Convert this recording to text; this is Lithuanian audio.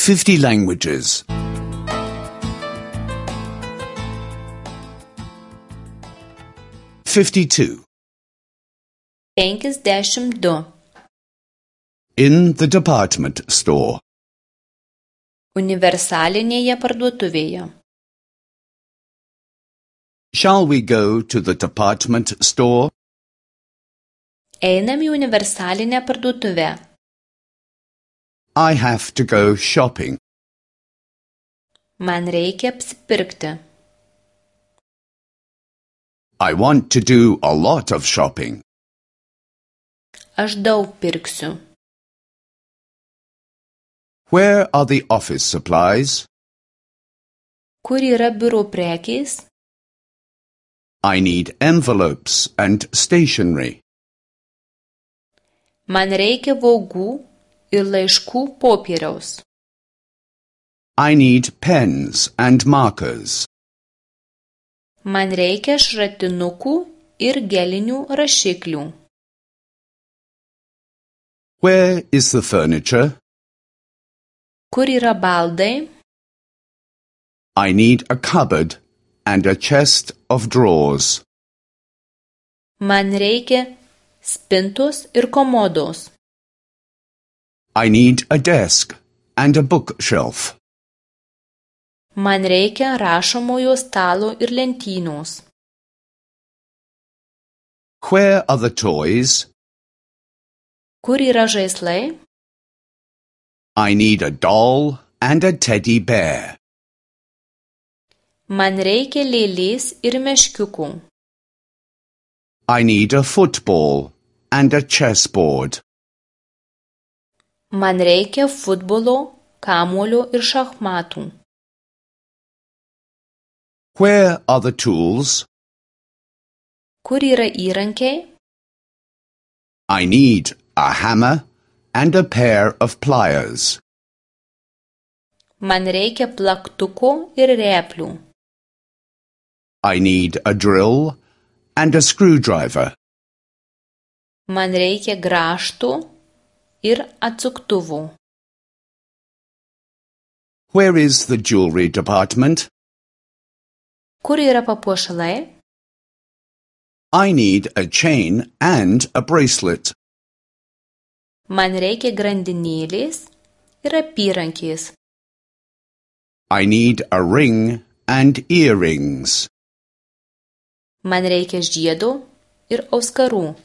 50 languages. 52. 52. In the department store. Universalinėje parduotuvėje. Shall we go to the department store? Einam į universalinę parduotuvę. I have to go shopping. Man reikia apsipirkti. I want to do a lot of shopping. Aš daug pirksiu. Where are the office supplies? Kur yra biuro prekės? I need envelopes and stationery. Man reikia vogų ir laiškų popieriaus. I need pens and markers. Man reikia šratinukų ir gelinių rašiklių. Where is the furniture? Kur yra baldai? I need a cupboard and a chest of drawers. Man reikia spintos ir komodos. I need a desk and a bookshelf. Man reikia rašomojo stalo ir lentynos. Where are the toys? Kur yra žaislai? I need a doll and a teddy bear. Man reikia lėlės ir meškiukų. I need a football and a chessboard. Man reikia futbolo, kamuolio ir šachmatų. Where are the tools? Kur yra įrankiai? I need a hammer and a pair of pliers. Man reikia plaktuko ir rėplių. I need a drill and a screwdriver. Man reikia grąžtų ir atsuktuvų. Where is the jewelry department? Kur yra papuošalai? I need a chain and a bracelet. Man reikia grandinėlės ir apyrankės. I need a ring and earrings. Man reikia žiedo ir auskarų.